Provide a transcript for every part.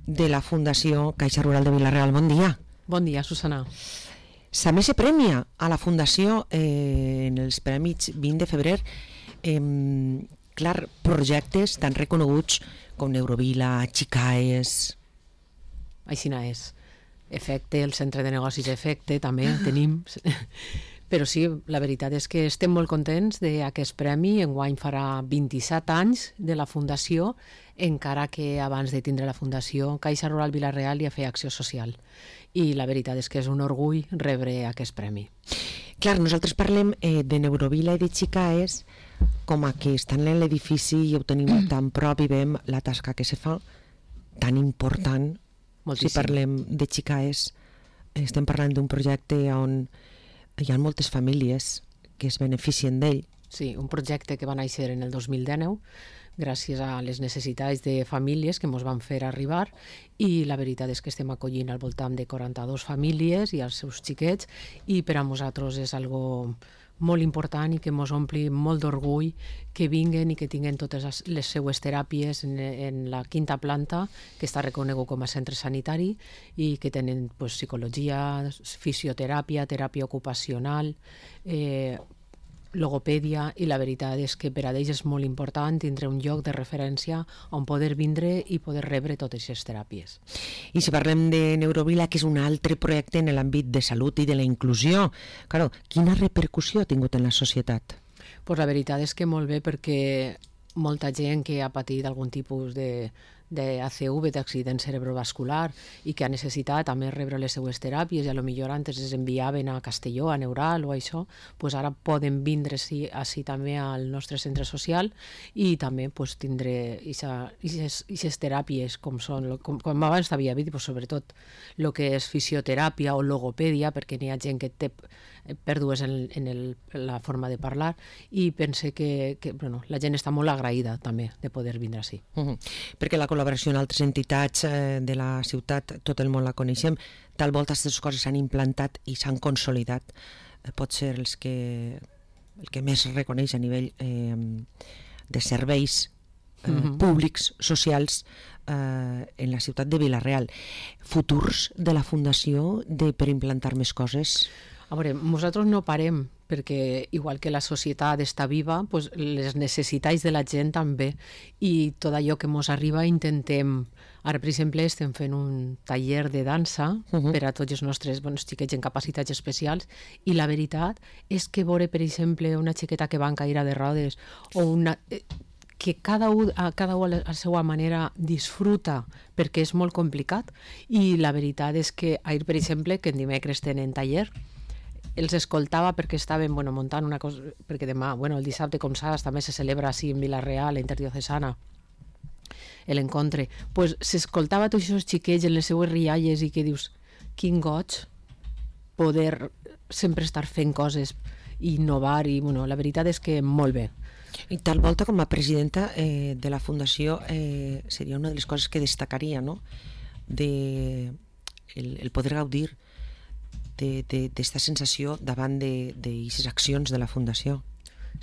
de la Fundació Caixa Rural de Vila-real. Bon dia. Bon dia, Susana. També se premia a la Fundació en els Premis 20 de febrer projectes tan reconeguts com Neurovila, Xicaes... Aixina és. Efecte, el centre de negocis Efecte, també tenim. Però sí, la veritat és que estem molt contents d'aquest premi. Enguany farà 27 anys de la Fundació, encara que abans de tindre la Fundació, Caixa Rural Vila-real ja feia acció social. I la veritat és que és un orgull rebre aquest premi. Clar, nosaltres parlem de Neurovila i de Xicaes com a que estan en l'edifici i ho tenim tan prop i veiem la tasca que se fa, tan important. Moltíssim. Si parlem de Xicaes, estem parlant d'un projecte on hi ha moltes famílies que es beneficien d'ell. Sí, un projecte que va néixer en el 2019 gràcies a les necessitats de famílies que ens van fer arribar, i la veritat és que estem acollint al voltant de 42 famílies i els seus xiquets, i per a nosaltres és algo molt important i que ens ompli molt d'orgull que vinguen i que tinguin totes les seues teràpies en la quinta planta, que està reconegut com a centre sanitari, i que tenen psicologia, fisioteràpia, teràpia ocupacional, logopèdia, i la veritat és que per a ells és molt important tindre un lloc de referència on poder vindre i poder rebre totes aquestes teràpies. I si parlem de Neurovila, que és un altre projecte en l'àmbit de salut i de la inclusió, claro, quina repercussió ha tingut en la societat? Pues la veritat és que molt bé, perquè molta gent que ha patit algun tipus d'ACV, d'accident cerebrovascular, i que ha necessitat també rebre les seues teràpies, i a lo millor antes es enviaven a Castelló, a Neural o això, pues ara poden vindre així també al nostre centre social i també pues, tindre aquestes teràpies com són, com abans t'havia dit, pues, sobretot el que és fisioteràpia o logopèdia, perquè n'hi ha gent que té pèrdues en la forma de parlar, i pense que la gent està molt agraïda també de poder vindre així. Perquè la col·laboració en altres entitats de la ciutat, tot el món la coneixem, tal volta aquestes coses s'han implantat i s'han consolidat, pot ser el que més reconeix a nivell de serveis públics, socials en la ciutat de Vila-real. Futurs de la Fundació per implantar més coses? A veure, nosaltres no parem, perquè igual que la societat està viva, pues les necessitats de la gent també, i tot allò que ens arriba intentem. Ara, per exemple, estem fent un taller de dansa per a tots els nostres xiquets en capacitats especials, i la veritat és que veure, per exemple, una xiqueta que va en cadira de rodes o una... que cada un a la seva manera disfruta, perquè és molt complicat, i la veritat és que ahir, per exemple, que en dimecres tenen taller, els escoltava perquè estaven muntant una cosa, perquè demà, el dissabte, com saps, també se celebra així en Vila-real, la interdiocesana, l'encontre, pues s'escoltava tots aquests xiquets en les seues rialles, i que dius, quin goig poder sempre estar fent coses i innovar, i la veritat és que molt bé. I tal volta, com a presidenta de la Fundació, seria una de les coses que destacaria, no? El poder gaudir d'esta sensació davant d'aquestes accions de la Fundació.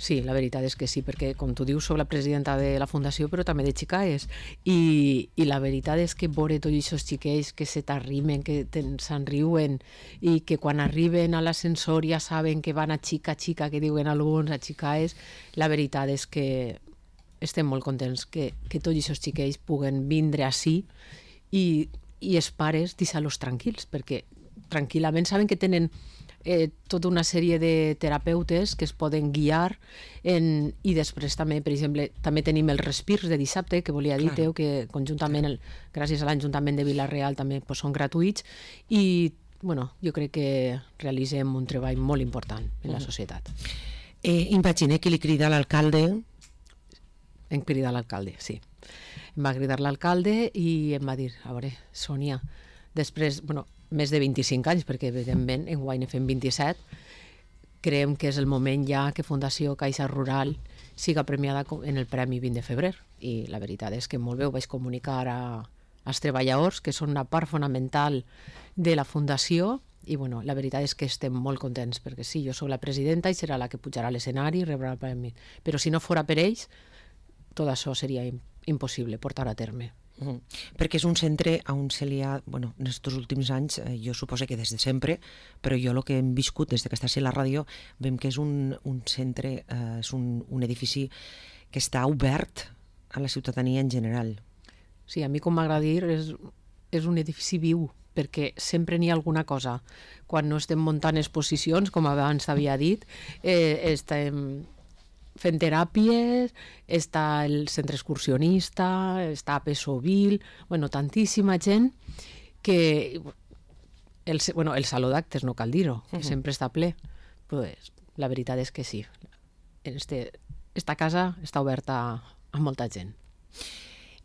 Sí, la veritat és que sí, perquè, com tu dius, soc la presidenta de la Fundació, però també de Xicaes, i la veritat és que veure tots aquests xiquets que se t'arrimen, que se'n riuen, i que quan arriben a l'ascensor ja saben que van a xica, que diuen alguns, a Xicaes, la veritat és que estem molt contents que tots aquests xiquets puguen vindre així, i els pares deixar-los tranquils, perquè tranquil·lament saben que tenen tota una sèrie de terapeutes que es poden guiar, i després també, per exemple, també tenim els respirs de dissabte, que volia dir, que conjuntament, gràcies a l'Ajuntament de Vila-real, també són gratuïts, i jo crec que realitzem un treball molt important en la societat. Imagina que li crida a l'alcalde. Em crida l'alcalde, sí. Em va cridar l'alcalde i em va dir, a veure, Sònia, després, més de 25 anys, perquè evidentment enguany ne fem 27, creiem que és el moment ja que Fundació Caixa Rural siga premiada en el Premi 20 de febrer, i la veritat és que molt bé ho vaig comunicar als treballadors, que són una part fonamental de la Fundació, i la veritat és que estem molt contents, perquè sí, jo soc la presidenta i serà la que pujarà a l'escenari i rebrà el premi, però si no fora per ells, tot això seria impossible portar a terme. Perquè és un centre on se li ha, bueno, en aquests últims anys, jo suposo que des de sempre, però jo el que hem viscut des que està a la ràdio, veiem que és un centre, és un edifici que està obert a la ciutadania en general. Sí, a mi, com m'agrada dir, és un edifici viu, perquè sempre n'hi ha alguna cosa. Quan no estem muntant exposicions, com abans t'havia dit, estem fent teràpies, està el centre excursionista, està Pesovil, bueno, tantíssima gent que... el saló d'actes, no cal dir-ho, que sempre està ple. Pues, la veritat és que sí. Esta casa està oberta a molta gent.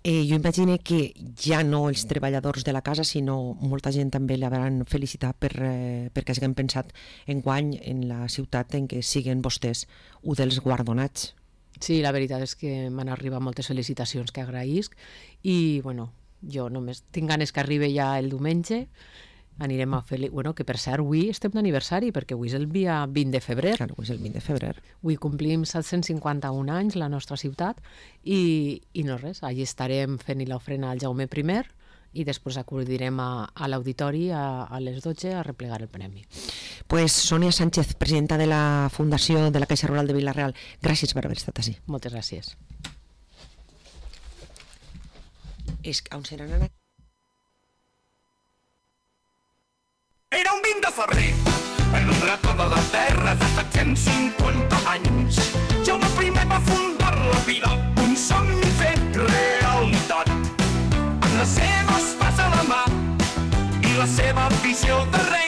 Jo imagino que ja no els treballadors de la casa, sinó molta gent també l'hauran felicitat perquè hagin pensat enguany en la ciutat en què siguen vostès un dels guardonats. Sí, la veritat és que m'han arribat moltes felicitacions que agraïsc i, bueno, jo només tinc ganes que arribi ja el diumenge. Anirem a fer... Bueno, que per cert, avui estem d'aniversari, perquè avui és el dia 20 de febrer. Claro, avui és el 20 de febrer. Avui complim 751 anys la nostra ciutat i no res, allà estarem fent l'ofrena al Jaume I i després acudirem a l'auditori a les 12 a replegar el premi. Pues Sònia Sánchez, presidenta de la Fundació de la Caixa Rural de Vila-real, gràcies per haver estat així. Moltes gràcies. On seran ara? Era un 20 de febrer, en un racó de la terra de 750 anys. Jaume I va fundar la vida, un somni fet realitat. Amb la seva espasa a la mà i la seva visió de rei,